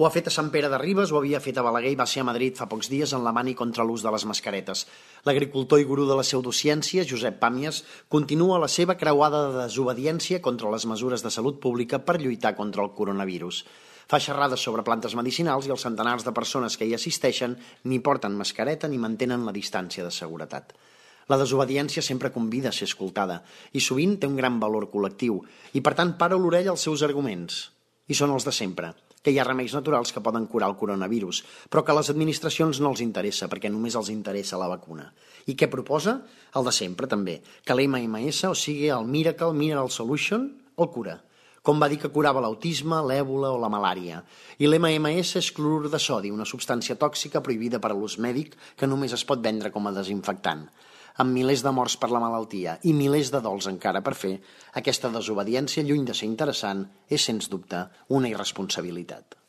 Ho ha fet a Sant Pere de Ribes, ho havia fet a Balaguer i va ser a Madrid fa pocs dies en la mani contra l'ús de les mascaretes. L'agricultor i gurú de la pseudociència, Josep Pàmies, continua la seva creuada de desobediència contra les mesures de salut pública per lluitar contra el coronavirus. Fa xerrades sobre plantes medicinals i els centenars de persones que hi assisteixen ni porten mascareta ni mantenen la distància de seguretat. La desobediència sempre convida a ser escoltada i sovint té un gran valor col·lectiu i per tant para l'orella als seus arguments. I són els de sempre, que hi ha remeis naturals que poden curar el coronavirus, però que a les administracions no els interessa perquè només els interessa la vacuna. I què proposa? El de sempre també, que l'MMS, o sigui el Miracle Mineral Solution, el cura. Com va dir que curava l'autisme, l'èbola o la malària. I l'MMS és clorur de sodi, una substància tòxica prohibida per a l'ús mèdic que només es pot vendre com a desinfectant. Amb milers de morts per la malaltia i milers de dols encara per fer, aquesta desobediència, lluny de ser interessant, és sens dubte una irresponsabilitat.